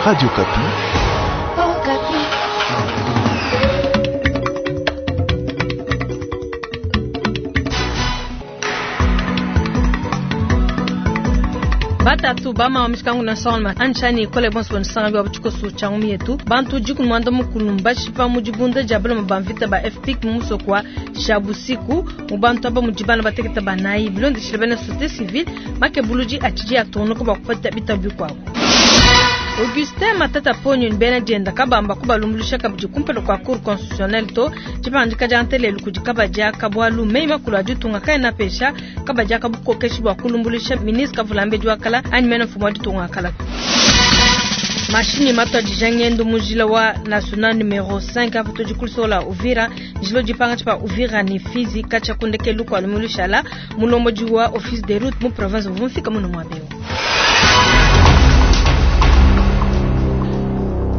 Radio Okapi. Batatu bama wa mishikangu na salma anchani ikole bonso banisanga bwa buchikosu changu mietu bantu jiku mwanda mukulu mbashipa mu dibunda dia baloma ba mvita ba FPIC mu musoko wa Shabusiku mu bantu aba mu dibana bateketa banayi bilondeshile bena société civile makebuluji atshidi atungunuka bua kupeta bitabu bikuabu. Augustin Matata Ponyo ni bena dienda kabamba kubalumbuluisha kabidi kumpala kua cour constitutionnelle to dipandika dia ntelelu kudi kabadi aka bualu meyi makulu a ditunga kaena apesha kabadi aka bukokeshi bua kulumbuluisha ministre kavulambedi wa kala anyi mene mfumu wa ditunga wa kala. Mashinyi matuadija ngendo mu njila wa national numero 5 apa tudi ku lusola Uvira, njila udi pangatshi pa Uvira ne Fizi katshia ku ndekelu kua lumingu lushala mulombodi wa office des routes mu province uvua mufika muno muaba eu.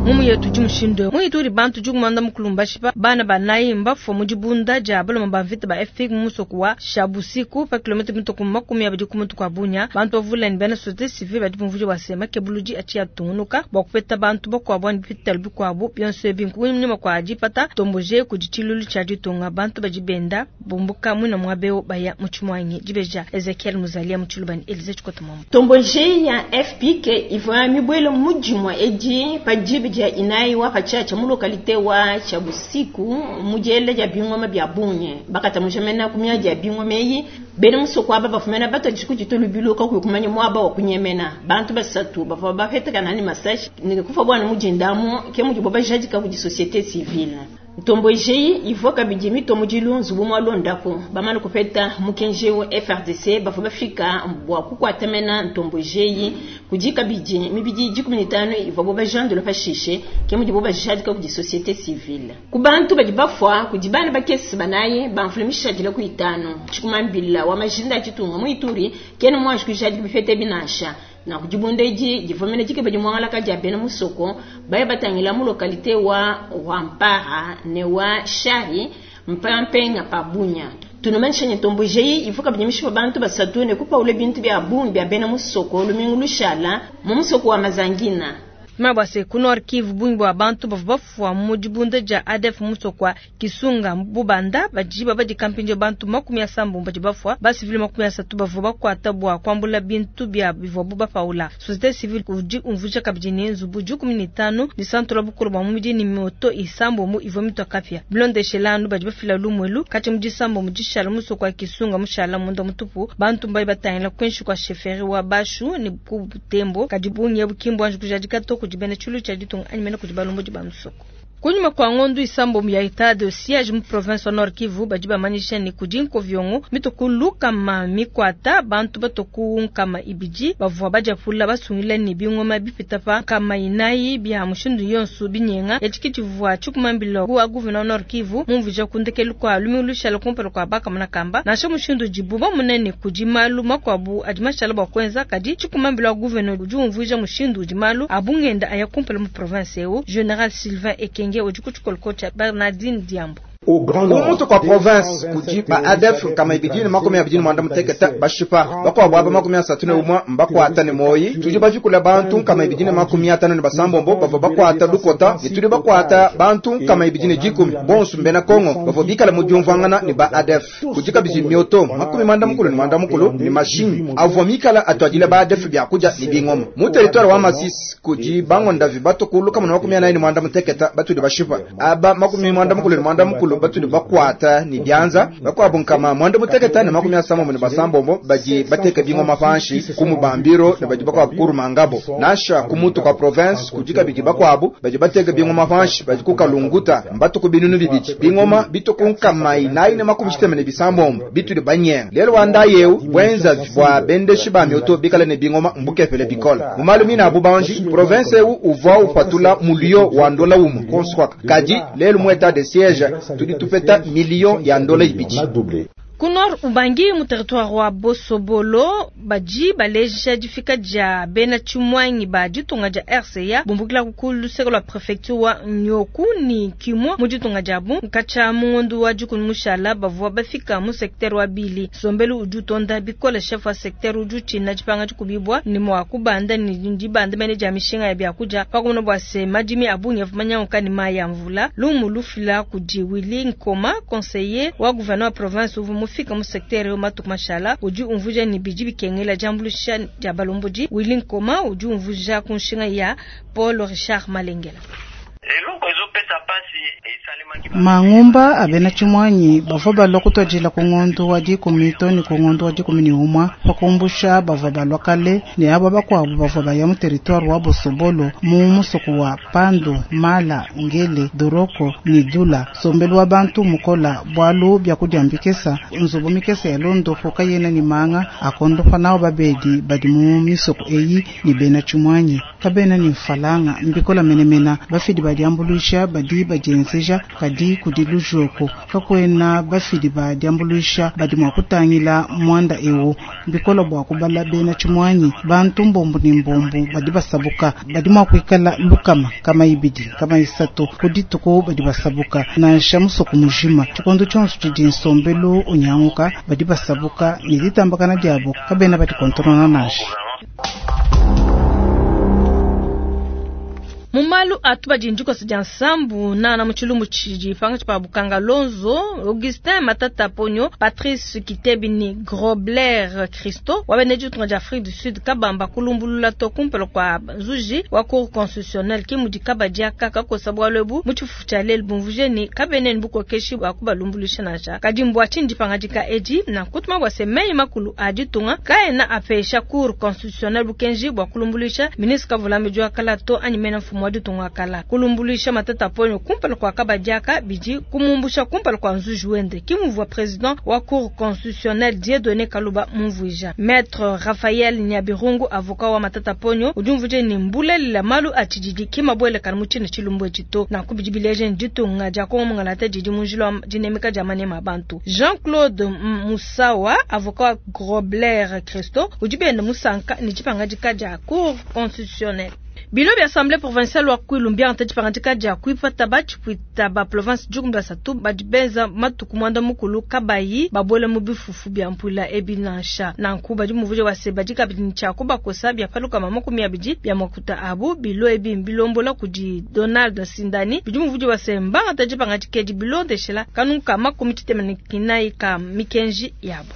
Mumu yetu di mushindu eu. Mu Ituri bantu dikumanda mukulu mbashipa bana banayi mbafua mu dibunda dia baloma ba mvita ba FPIC mu musoko wa Shabusiku pa kilomita mituku 20 ku mutu kua Bunia. Bantu bavule ne bena société civile badi bumvuija bua se makebuludi atshi atungunuka bua kupeta bantu bakuabu anyi bipitalo bikuabu. Bionso ebi nkunyima kua dipata tomboje kudi tshilulu tshia ditunga. Bantu badi benda bumbuka muina muaba eu baya mu tshimuangi. Dibeja Ezekiel Muzalia mu Tshiluba ne Elise Tshikota Mwambu. Tomboje ya FPIC ivua mibuele mu dimue edi pa diba dia inayi wa patshiatshia mu localité wa Tshiabusiku mu diela dia bingoma bia bungi. Bakatamuja mena ku miadi ya bingoma eyi. Bena musoko aba bafumena batuadije kuditua lubilu kakuyi kumanya muaba wa kunyemena. Bantu basatu bavua bapetakana ne masashi ne kufa buana mu dindamu, ke mudibo bajadika kudi société civile. Ntomboje eyi ivua kabidi mitua mudilu nzubu mua londapu. Bamane kupeta mukenji eu FARDC bavua bafika bua kukuata mena ntomboje eyi. Kudi kabidi mibidi 15 ivuabu bajandula pashishe, ke mudibo bajadika kudi société civile. Ku bantu badi bafua kudi bana bakese banayi bamvula mishadile ku itanu. Tshikumambila wa majinda a ditunga mu Ituri kena muanji kujadika bipeta binansha. Na kudibunda edi divua mene dikeba dimuangalaka dia bena musoko baya batangila mu localité wa Rwampara ne wa Shari mpampenga pa Bunia. Tunumanyisha ne ntomboje eyi ivua kabidi mishipa bantu basatu ne kupaula bintu bia bungi bia bena musoko lumingu lushala mu musoko wa Mazangina. Mabua se ku Nord Kivu bungi bua bantu bavua bafua mu dibunda dia ADF mu musoko wa Kisunga Bubanda badi babadika mpindieu bantu 80 badi bafua, basivile 30 bavua bakuata bua kuambula bintu bia bivuabu bapaula. Société civile udi umvuija kabidi ne nzubu 15 disantola bukulu bua mubidi ne moto isambombo ivua mitua kapia. Bilondeshela anu badi bafila lumuelu katshia mu disambombo dishala musoko wa Kisunga mushala munda mutupu, bantu mbayi batangila kuinshi kua chefferie wa Bashu ne ku Butembo, kadi bungi ebu ki mbuanji kujadika to kudi bena tshilu tshia ditunga anyi mene kudi balombodi ba musoko. Kunyima kua ngondu isambombo ya etat de siège mu province wa Nord Kivu badi bamanyisha ne kudi nkoviongo mituku lukama mikuata bantu batoku nkama ibidi bavua badiapula basungila ne bingoma bipita pa nkama inayi bia mushindu yonso binyenga. Etshi ke tshivua tshikumambila wa gouverneur Nord Kivu mumvuija ku ndekelu kua lumingu lushala kumpala kua bakamona kamba. Nansha mushindu udibu bamone ne kudi malu makuabu adi mashala bua kuenza, kadi tshikumambila wa gouverneur udi umvuija mushindu udi malu a bungenda aya kumpala mu province eu. General Sylvain Ekenge udi ku tshikoloko tshia Bernardine Diambo. Ku mutu kua province kudi ba ADF 229 bashipa, bakuabu aba 31 mbakuata ne moyi. Tudi bajikula bantu 256 bavua bakuata lukota ne tudi bakuata bantu 210 bonso mbena Kongo bavua bikala mu diumvuangana ne ba ADF. Kudi kabidi mioto 99 ne mashinyi avua mikala atuadila ba ADF biakudia ne bingoma. Mu territoire wa Masisi kudi bangondavi batukulu 48 batudi bashipa, aba 98 batudi bakuata ne bianza, bakuabu 966 badi bateka bingoma panshi ku mubambiro ne badi bakuabu ku Rumangabo. Nansha ku mutu kwa province kudi kabidi bakuabu badi bateka bingoma panshi badi ku Kalunguta mbatuku 2000 bingoma bituku 496 bitudi banyenga. Lelo wa ndayi eu bwenza bua bendeshi ba mioto bikala ne bingoma mbukepele bikola. Mu malu mina abu banji province eu uvua upatula mulio wa ndola umu konswaka, kadi lelo mu etat de siège tudi tupeta million ya ndola ibidi. Ku Nord Ubangi mu territoire wa Bosobolo badi baleja difika dia bena tshimuangi ba ditunga dia RCA bumbukila ku luseke lua prefecture wa Nyoku ni Kimwa mu ditunga diabu. Katshia mu ngondo wa dikumi mushala bavua bafika mu secteur wa Bili. Nsombelu udi utonda bikole, chef wa secteur udi utshina dipanga dikubibua ne mua kubanda ne dibanda mene dia mishinga ya biakudia pa kumona bua se madimi a bungi avua manyanguka ne mayi a mvula. Lumu lufila kudi Willy Nkoma, conseiller wa gouverneur wa province uvua mufika mu secteur eu matuku mashala, udi umvuija ne bidi bikengela diambuluisha dia balombodi. Willy Nkoma udi umvuija ku nshinga ya Paul Richard Malengela. Mangumba a bena tshimuanyi bavua balua kutuadila ku ngondo wa dikumi to ne ku ngondo wa 11 pa kumbusha bavua balua kale ne aba bakuabu bavua baya mu territoire wa Bosobolo mu musoko wa Pandu, Mala, Ngele, Doroko ne Dula. Nsombelu wa bantu mukola bualu biakudia mbikesa, nzubu mikesa ya londopo kayena ne manga akondopa nawo babedi badi mu misoko eyi ne bena tshimuanyi kabena ne mfalanga mbikola menemena. Bafidi ba diambuluisha badi badienzeja kadi kudi lujoko kakuena bafidi ba diambuluisha badi mua kutangila muanda ewu mbikola bua kubala bena tshimuanyi bantu mbombu ne mbombu badi basabuka badi mua kuikala lukama kama ibidi kama isatu ku dituku badi basabuka nansha musoko mujima tshikondo tshionso tshidi nsombelu unyanguka badi basabuka ne ditambakana diabo kabena badikontonona nansha. Mu malu atu badi ndikosa dia nsambu nana mu tshilumbu tshidi pangatshi pa Bukanga Lonzo, Augustin Matata Ponyo, Patrice Kitebi ni Grobler Christo wa bena ditunga dia Afrique du Sud kabamba kulumbulula to kumpala kua nzuji wa cour constitutionnelle ki mudi kabadi aka kakosa bualu ebu mu tshifufu tshia lelu bumvuje ni kabena ne bukokeshi bua kubalumbuluisha nansha. Kadi mbua tshinyi dipangadika edi nankutuma bua se meyi makulu a ditunga kaena apesha cour constitutionnelle bukenji bua kulumbuluisha ministre Kavulambedi wa kala to anyi mena mfumu wa ditunga kala. Kulumbuluisha Matata Ponyo kumpala kua kabadi aka bidi kumumbusha kumpala kua nzuji wende ki muvua president wa cour constitutionnelle Dieudonné Kaluba mumvuija. Maître Raphaël Nyabirungu avocat wa Matata Ponyo udi umvuija ni mbulelela malu a tshididi ki mabuelekana mu tshina tshilumbu etshi to. Nanku bidi bileja ni ditunga dia Kongo mungalata didi mu njila wa dinemeka dia manema a bantu. Jean-Claude Musawa avocat wa Grobler Christo udi benda musanka ne dipangadika dia cour constitutionnelle. Bilo bia assemblée provinciale wa Kwilu mbiangata dipangadika dia kuipata batshipuita ba province dikumi basatu badi benza matuku mwanda mukulu kabayi babuele mu bifufu bia mpuila ebi nansha. Nanku badi muvuje wa se badi kabidi ne tshia kubakosa bia paluka 20 bia makuta abu. Bilo ebi mbilombola kudi Donald Sindani bidi muvuje wa se mbangata dipangadika edi bilondeshela kanunka 49 ka mikenji yabo.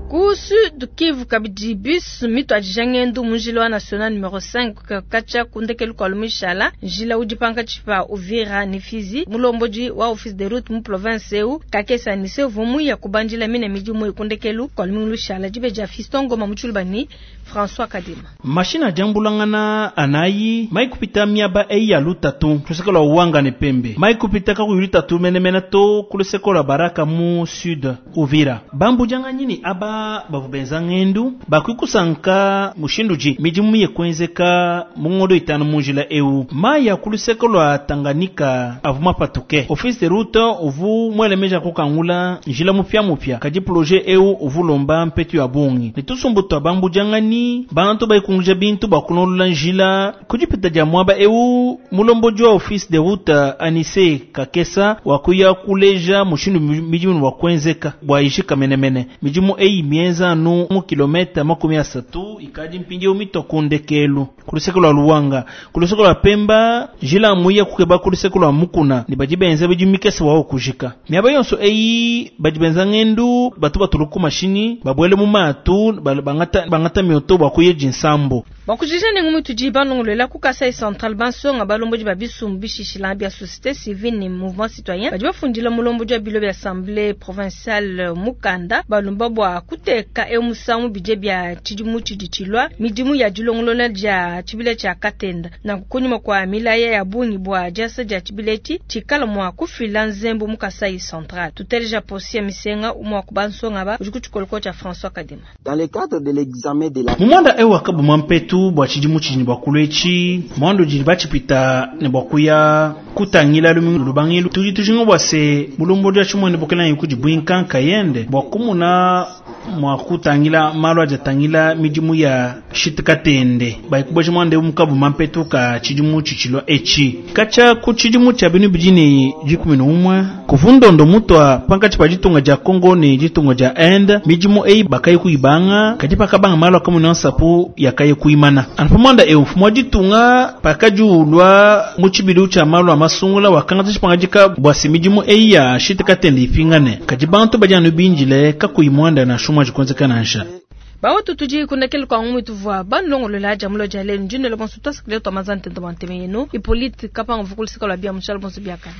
Ku Sud Kivu kabidi bus mitu adija ngendo mu njila wa national numero 5 katshia ku ndekelu kua lumishala njila udi pankatshi pa Uvira ne Fizi. Mulombodi wa office de route mu province eu Kakesa Anise uvua muya kubandila mine midimu ku ndekelu kua lumishala dibe dia Fiston Ngoma mu Tshiluba ni François Kadima. Mashina jambulangana anayi mai kupita miaba eyi ya lutatu luseke lwa Uwanga ne Pembe mai kupita kakuyi lutatu menemene to ku luseke lwa Baraka mu Sud Uvira. Bambujanga nyini aba bavua benza ngendu bakwikusanka mushindu ji midimu ye kuenzeka mu ngondo itanu mu njila eu mai ya ku luseke lwa Tanganyika avua mapatuke. Office de route uvu mwelemeja kukangula njila mupya mupya kadi projet eu uvu lomba mpetu ya bungi ne tusumbu twa bambujangani bantu baikunguja bintu bakunolola njila kudipita dia mwaba eu mulombodi wa office de route Anise Kakesa wakuya kuleja mushindu midimu wa kuenzeka bwa ijika menemene midimu eyi mienza anu mu kilometa 30 ikadi mpindieu mitwa ndekelu ku luseke lwa Luwanga ku luseke lwa Pemba njila muya kukeba ku luseke lwa Mukuna ne badi benza bidimu mikese wawo kujika miaba yonso eyi badi benza ngendu batu batuluku mashini babwele mu matu bangata mioto bwa kuyeji nsambo. Bakujija ne ngumu tudi banongolela ku Kasai Central bansonga balombodi ba bisumbu bishishila bia société civile ne mouvement citoyen badi bafundila mulombodi wa bilo bia assemblée provinciale mukanda balomba bua kuteka eu musangu bidie bia tshidimu tshidi tshilua midimu ya dilongolola dia tshibila tshia Katenda na kunyuma kwa milaya ya bungi bua diasa dia tshibila etshi tshikala mua kufila nzembo mu Kasai Central. Tuteleja posia misenga umwa ku bansonga ba udi ku tshikoloko tshia François Kadima. Dans le cadre de l'examen de la mumwanda eu wakabuma mpetu mpetu bua tshidimu tshidi ne bua kulua etshi muanda udi batshipita ne bua kuya kutangila lumingu lubangilu. Tudi tujinga bua se mulombodi wa tshimuene bukelenga kudi buinka nkayende bua kumuna mua kutangila malu adi atangila midimu ya shitikatende bayikuboja muanda eu mukabu mampetu ka tshidimu tshitshilua etshi katshia ku tshidimu tshia binu bidi ne 11 kuvundondo mutua pankatshi pa ditunga dia Congo ne ditunga dia Inde. Midimu eyi bakayi kuyibanga kadi pakabanga malu akamuna nsapu yakayi kuyimana. Anu pa muanda eu mfumu wa ditunga pakadi ulua mu tshibilu tshia malu a masungula wakangata tshipangadika bua se midimu eyi ya shitikatende ipingane, kadi bantu badi anu bindile kakuyi muanda nansha umue adi nansha. Bawatu tudi kunakele kwa ngumu tuvua banlongolola jamulo dia lelu ndinelo bonso twasakile twamazantento banteme yenu Hippolyte Kapanga vukulusika lwa bia mushala bonso biakana.